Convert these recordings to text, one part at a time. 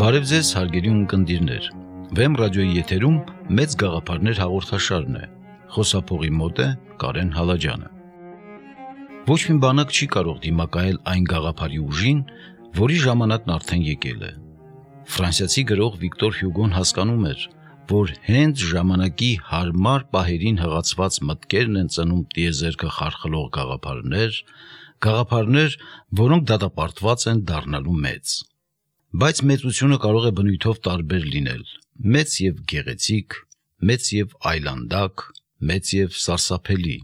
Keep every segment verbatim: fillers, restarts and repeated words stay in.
Բարև ձեզ հարգելի ունկնդիրներ, Վեմ ռադիոյի եթերում մեծ գաղափարներ հաղորդաշարն է, խոսափողի մոտ է Կարեն Հալաջյանը։ Ոչ մի բանակ չի կարող դիմակայել այն գաղափարի ուժին, որի ժամանակն արդեն եկել է։ Ֆրանսիացի գրող Վիկտոր Հյուգոն հասկանում էր, որ հենց ժամանակի հարմար պահերին հղացված մտքերն են ծնում տիեզերքը խարխլող գաղափարներ, գաղափարներ, որոնք դատապարտված են դառնալու մեծ։ Բայց մեծությունը կարող է բնույթով տարբեր լինել, մեծ և գեղեցիկ, մեծ և այլանդակ, մեծ և սարսափելի։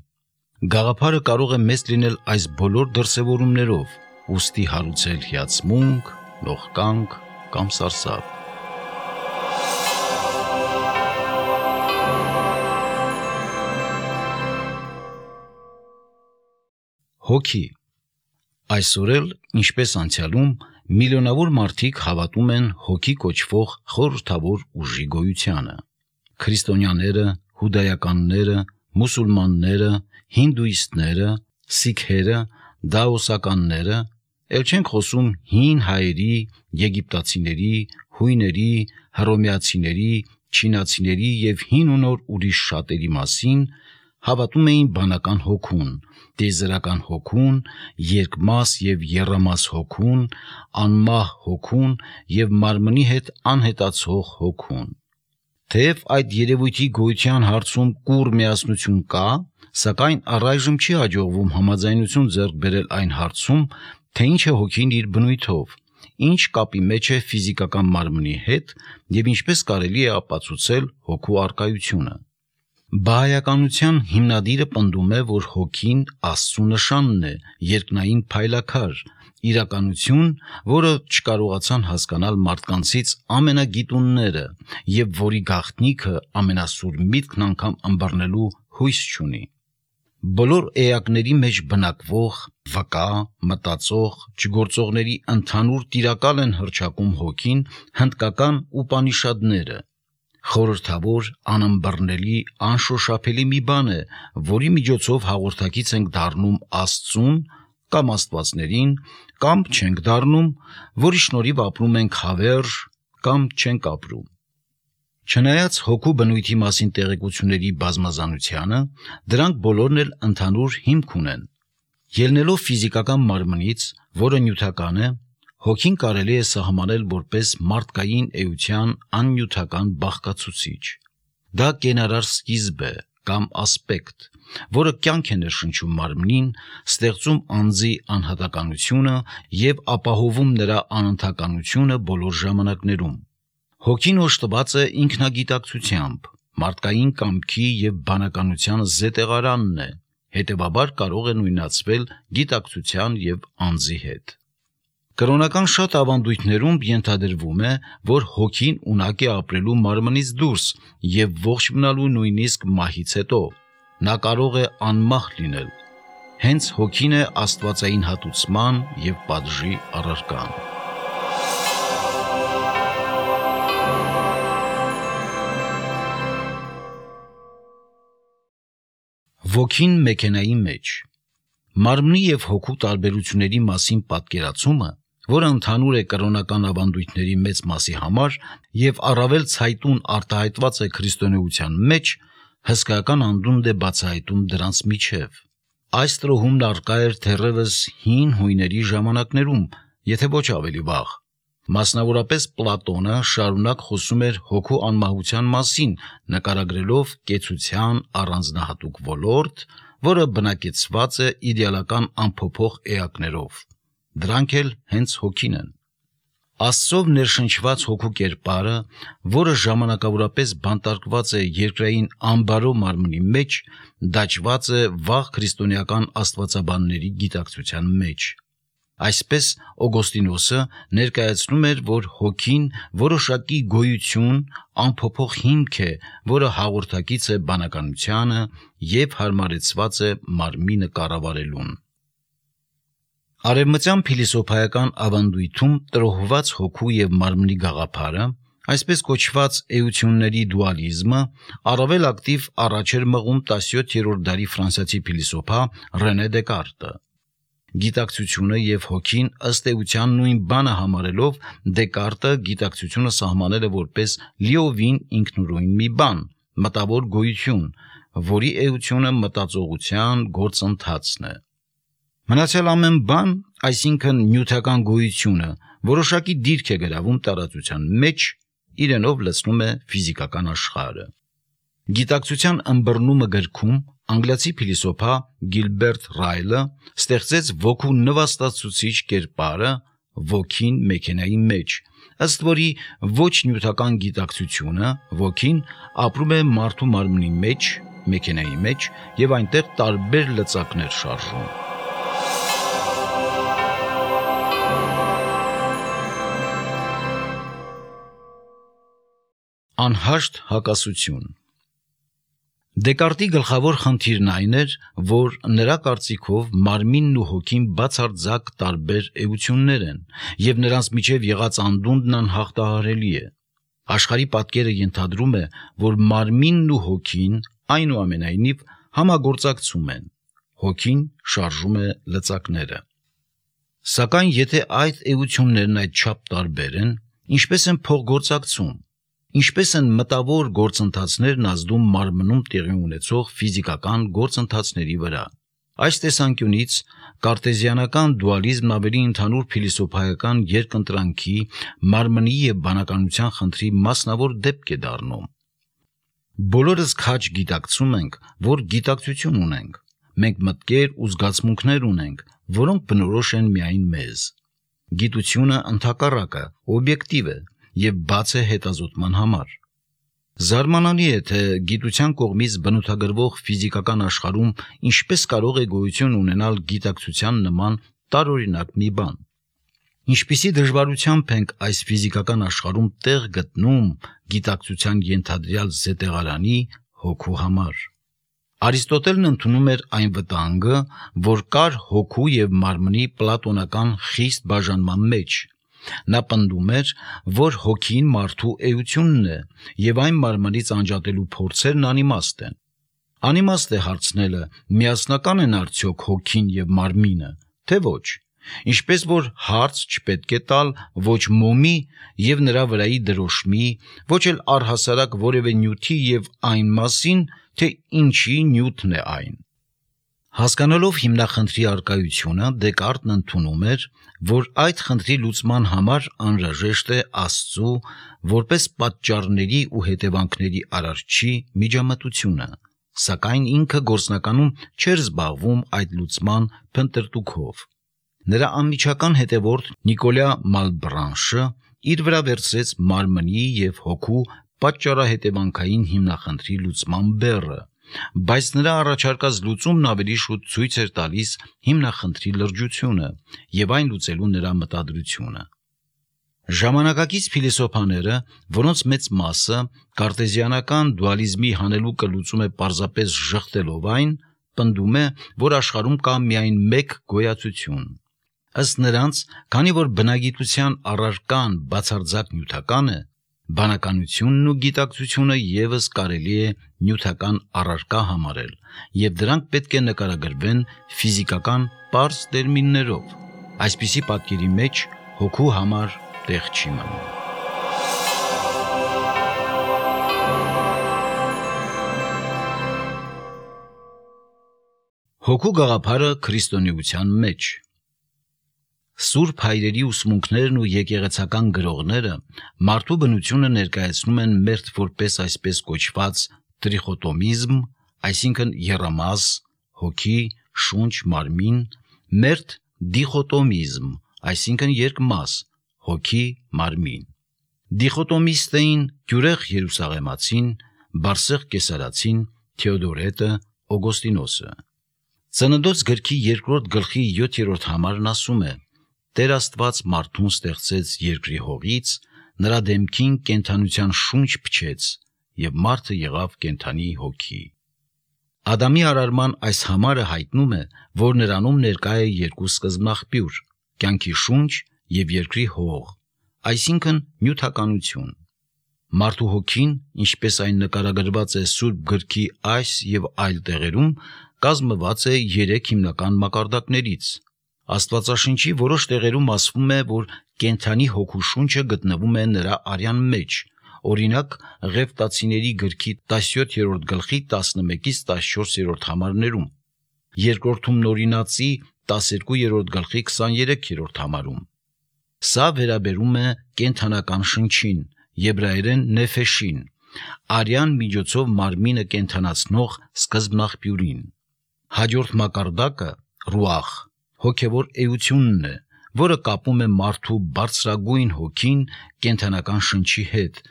Գաղափարը կարող է մեծ լինել այս բոլոր դրսևորումներով, ուստի հարուցել հիացմունք, նողկանք կամ սարսափ։ Հոգի։ Այսօր էլ, ինչպես անցյալում, միլիոնավոր մարդիկ հավատում են հոգի կոչվող խորհրդավոր ուժի գոյությանը։ Քրիստոնյաները, հուդայականները, մուսուլմանները, հինդուիստները, սիկհերը, դաոսականները, էլ չենք խոսում հին հայերի, եգիպտացիների, հույների, հռոմեացիների, չինացիների և հին ու նոր ուրիշ շատերի մասին, հավատում էին բանական հոգուն, տիեզերական հոգուն, երկմաս և եռամաս հոգուն, անմահ հոգուն և մարմնի հետ անհետացող հոգուն։ Թեև այդ երևույթի գոյության հարցում կուռ միասնություն կա, սակայն առայժմ չի հաջողվում համաձայնություն ձեռք բերել այն հարցում, թե ինչ է հոգին իր բնույթով, ինչ կապի մեջ է ֆիզիկական մարմնի հետ և ինչպես կարելի է ապացուցել հոգու առկայությունը։ Բահայականության հիմնադիրը պնդում է, որ հոգին Աստծու նշանն է, երկնային փայլաքար, իրականություն, որը չկարողացան հասկանալ մարդկանցից ամենագիտունները և որի գաղտնիքը ամենասուր միտքն անգամ ըմբռնելու հույս չունի։ Բոլոր էակների մեջ բնակվող, վկա, մտածող, չգործողների ընդհանուր տիրակալ են հռչակում հոգին հնդկական ուպանիշադները։ Խորհրդավոր, անըմբռնելի, անշոշափելի մի բան է, որի միջոցով հաղորդակից ենք դառնում Աստծուն կամ աստվածներին, կամ չենք դառնում, որի շնորհիվ ապրում ենք հավերժ կամ չենք ապրում։ Չնայած հոգու բնույթի մասին տեղեկությունների բազմազանությանը, դրանք բոլորն էլ ընդհանուր հիմք ունեն։ Ելնելով ֆիզիկական մարմնից, որը նյութական է, հոգին կարելի է սահմանել որպես մարդկային էության աննյութական բաղկացուցիչ։ Դա կենարար սկիզբ է կամ ասպեկտ, որը կյանք է ներշնչում մարմնին, ստեղծում անձի անհատականությունը և ապահովում նրա անընդհականությունը բոլոր ժամանակներում։ Հոգին օժտված է ինքնագիտակցությամբ, մարդկային կամքի և բանականության զետեղարանն է, հետևաբար կարող է նույնացվել գիտակցության և անձի հետ։ Կրոնական շատ ավանդույթներում ենթադրվում է, որ հոգին ունակ է ապրելու մարմնից դուրս և ողջ մնալու նույնիսկ մահից հետո։ Նա կարող է անմահ լինել։ Հենց հոգին է աստվածային հատուցման և պատժի առարկան։ Ոգին մեքենայի մեջ։ Մարմնի և հոգու տարբերությունների մասին պատկերացումը, որը ընդհանուր է կրոնական ավանդույթների մեծ մասի համար և առավել ցայտուն արտահայտված է քրիստոնեության մեջ, հսկայական անդունդ է բացահայտում դրանց միջև։ Այս տրոհումն առկա էր թերևս հին հույների ժամանակներում, եթե ոչ ավելի վաղ։ Մասնավորապես Պլատոնը շարունակ խոսում էր հոգու անմահության մասին, նկարագրելով կեցության առանձնահատուկ ոլորտ, որը բնակեցված է իդեալական անփոփոխ էակներով։ Դրանք էլ հենց հոգին են։ Աստծով ներշնչված հոգու կերպարը, որը ժամանակավորապես բանտարկված է երկրային ամբարո մարմնի մեջ, դաջված է վաղ քրիստոնեական աստվածաբանների գիտակցության մեջ։ Այսպես Օգոստինոսը ներկայացնում էր, որ հոգին որոշակի գոյություն, անփոփոխ հիմք է, որը հաղորդակից է բանականությանը և հարմարեցված է մարմինը կառավարելուն։ Արևմտյան փիլիսոփայական ավանդույթում տրոհված հոգու և մարմնի գաղափարը, այսպես կոչված էությունների դուալիզմը, առավել ակտիվ առաջ էր մղում տասնյոթերորդ դարի ֆրանսիացի փիլիսոփա Ռենե Դեկարտը։ Գիտակցությունը եւ հոգին ըստ էության նույն բանը համարելով Դեկարտը գիտակցությունը սահմանել է որպես լիովին ինքնուրույն մի բան, մտավոր գոյություն, որի էությունը մտածողության գործընթացն է։ Մնացյալ ամեն բան, այսինքն նյութական գոյությունը, որոշակի դիրք է գրավում տարածության մեջ, իրենով լցնում է ֆիզիկական աշխարհը։ Գիտակցության ըմբռնումը գրքում անգլիացի փիլիսոփա Գիլբերտ Ռայլը ստեղծեց ոգու նվաստացուցիչ կերպարը ոգին մեքենայի մեջ, ըստ որի ոչ նյութական գիտակցությունը ոգին ապրում է մարդու մարմնի մեջ, մեքենայի մեջ եւ այնտեղ տարբեր լծակներ շարժում։ Անհաշտ հակասություն։ Դեկարտի գլխավոր խնդիրն այն էր, որ նրա կարծիքով մարմինն ու հոգին բացարձակ տարբեր էություններ են, եւ նրանց միջև եղած անդունդն անհաղթահարելի է։ Աշխարհի պատկերը ենթադրում է, որ մարմինն ու հոգին այնուամենայնիվ համագործակցում են։ Հոգին շարժում է լծակները։ Սակայն եթե այդ էություններն այդչափ տարբեր են, ինչպես են փոխգործակցում, ինչպես են մտավոր գործընթացներն ազդում մարմնում տեղի ունեցող ֆիզիկական գործընթացների վրա։ Այս տեսանկյունից կարտեզիանական դուալիզմն ավելի ընդհանուր փիլիսոփայական երկընտրանքի, մարմնի եւ բանականության խնդրի մասնավոր դեպք է դառնում։ Բոլորս քաջ գիտակցում ենք, որ գիտակցություն ունենք։ Մենք մտքեր ու զգացմունքներ ունենք, որոնք բնորոշ են միայն մեզ։ Գիտությունը ընդհակառակը օբյեկտիվ է եւ բաց է հետազոտման համար։ Զարմանալի է, թե գիտության կողմից բնութագրվող ֆիզիկական աշխարհում ինչպես կարող է գոյություն ունենալ գիտակցության նման տարօրինակ մի բան։ Ինչպիսի դժվարությամբ ենք այս ֆիզիկական աշխարհում տեղ գտնում գիտակցության ենթադրյալ զետեղարանի հոգու համար։ Արիստոտելն ընդունում էր այն վտանգը, որ կար հոգու եւ մարմնի պլատոնական խիստ բաժանման մեջ։ Նա պնդում էր, որ հոգին մարդու էությունն է եւ այն մարմնից անջատելու փորձերն անիմաստ են։ Անիմաստ է հարցնելը՝ միասնական են արդյոք հոգին եւ մարմինը, թե ոչ։ Ինչպես որ հարց չպետք է տալ ոչ մոմի եւ նրա վրայի դրոշմի, ոչ էլ առհասարակ որևէ նյութի եւ այն մասին, թե ինչի նյութն է այն։ Հասկանալով հիմնախնդրի առկայությունը, Դեկարտն ընդունում էր, որ այդ խնդրի լուծման համար անհրաժեշտ է Աստծու որպես պատճառների ու հետևանքների արարչի միջամտությունը, սակայն ինքը գործնականում չէր զբաղվում այդ լուծման փնտրտուքով։ Նրա անմիջական հետևորդ Նիկոլա Մալբրանշը իր վրա վերցրեց մարմնի եւ հոգու պատճառահետևանքային հիմնախնդրի լուծման բեռը, բայց նրա առաջարկած լուծումն ավելի շուտ ցույց էր տալիս հիմնախնդրի լրջությունը եւ այն լուծելու նրա մտադրությունը։ Ժամանակակից փիլիսոփաները, որոնց մեծ մասը կարտեզիանական դուալիզմի հանելուկը լուծում է պարզապես ժխտելով այն, պնդում է, որ աշխարհում կա միայն մեկ գոյացություն։ Ըստ նրանց, քանի որ բնագիտության առարկան բացարձակ նյութական է, բանականությունն ու գիտակցությունը եւս կարելի է նյութական առարկա համարել, եւ դրանք պետք է նկարագրվեն ֆիզիկական պարզ տերմիններով։ Այսպիսի պատկերի մեջ հոգու համար տեղ չի մնում։ Հոգու գաղափարը քրիստոնեության մեջ։ Սուրբ հայրերի ուսմունքներն ու եկեղեցական գրողները մարդու բնությունը ներկայացնում են մերթ որպես այսպես կոչված տրիխոտոմիզմ, այսինքն եռամաս, հոգի, շունչ, մարմին, մերթ դիխոտոմիզմ, այսինքն երկմաս, հոգի, մարմին։ Դիխոտոմիստեին Գյուրեղ Երուսաղեմացին, Բարսեղ Կեսարացին, Թեոդորետը, Օգոստինոսը։ Ծննդոց գրքի երկրորդ գլխի յոթերորդ համարն ասում է. Տեր Աստված մարդուն ստեղծեց երկրի հողից, նրա դեմքին կենդանության շունչ փչեց, եւ մարդը եղավ կենդանի հոգի։ Ադամի արարման այս համարը հայտնում է, որ նրանում ներկա է երկու սկզբնաղբյուր՝ կյանքի շունչ եւ երկրի հող, այսինքն նյութականություն։ Մարդու հոգին, ինչպես այն նկարագրված է Սուրբ գրքի այս եւ այլ տեղերում, կազմված է երեք հիմնական մակարդակներից՝ Աստվածաշնչի որոշ տեղերում ասվում է, որ կենդանի հոգու շունչը գտնվում է նրա արյան մեջ, օրինակ Ղևտացիների գրքի տասնյոթերորդ գլխի տասնմեկից տասնչորսերորդ համարներում, երկրորդում Նորինացի տասներկուերորդ գլխի քսաներեքերորդ համարում։ Սա վերաբերում է կենդանական շնչին, եբրայերեն նեֆեշին, արյան միջոցով մարմինը կենդանացնող սկզբնաղբյուրին։ Հաջորդ մակարդակը ռուախ, հոգևոր էությունն է, որը կապում է մարդու բարձրագույն հոգին կենդանական շնչի հետ,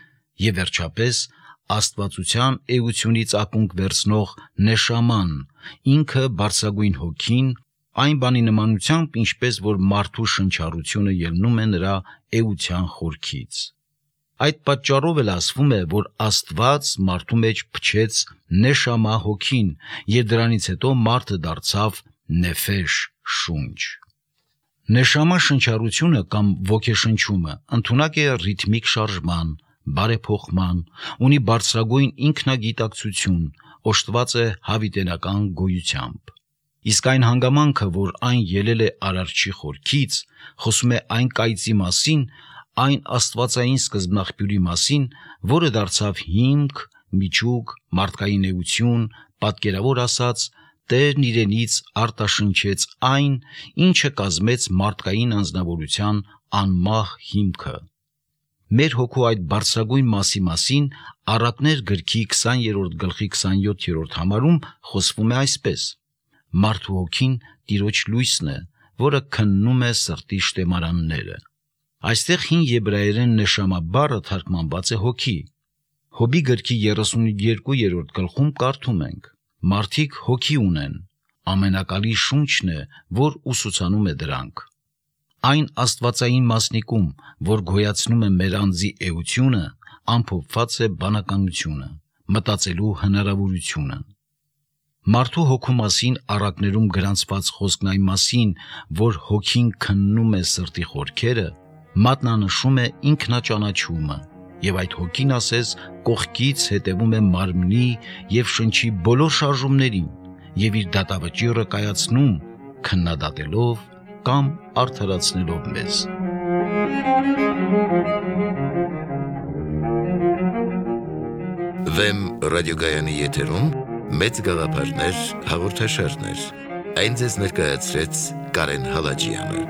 եւ վերջապես աստվածության էությունից ակունք վերցնող նեշաման, ինքը բարձրագույն հոգին, այն բանի նմանությամբ, ինչպես որ մարդու շնչառությունը ելնում է նրա էության խորքից։ Այդ պատճառով էլ ասվում է, որ Աստված մարդու մեջ փչեց նեշամա հոգին, եւ դրանից հետո մարդը դարձավ նեֆեշ շունչ։ Նեշամա շնչառությունը կամ ոգեշնչումը ընդունակ է ռիթմիկ շարժման, բարեփոխման, ունի բարձրագույն ինքնագիտակցություն, օժտված է հավիտենական գոյությամբ։ Իսկ այն հանգամանքը, որ այն ելել է Արարչի խորքից, խոսում է այն կայծի մասին, այն աստվածային սկզբնաղբյուրի մասին, որը դարձավ հիմք, միջուկ, մարդկային էություն, պատկերավոր ասած, Տերն իրենից արտաշնչեց այն, ինչը կազմեց մարդկային անձնավորության անմահ հիմքը։ Մեր հոգու այդ բարձրագույն մասի մասին Առակներ գրքի քսաներորդ գլխի քսանյոթերորդ համարում խոսվում է այսպես. Մարդու հոգին Տիրոջ լույսն է, որը քննում է սրտի շտեմարանները։ Այստեղ հին եբրայերեն նեշամա բառը թարգմանված է հոգի։ Հոբի գրքի երեսունյոթերորդ գլխում կարդում ենք. Մարդիկ հոգի ունեն, ամենակալի շունչն է, որ ուսուցանում է դրանք։ Այն աստվածային մասնիկում, որ գոյացնում է մեր անձի էությունը, ամփոփված է բանականությունը, մտածելու հնարավորությունը։ Մարդու հոգու մասին առակներում գրանցված խոսքն այն մասին, որ հոգին քննում է սրտի խորքերը, մատնանշում է ինքնաճանաչումը, եւ այդ հոգին ասես կողքից հետևում է մարմնի եւ շնչի բոլոր շարժումներին եւ իր դատավճիռը կայացնում, քննադատելով կամ արդարացնելով մեզ։ Վեմ ռադիոգայանի եթերում մեծ գաղափարներ հաղորդաշարներ։ Այն ձեզ ներկայացրեց Կարեն Հալաջյանը։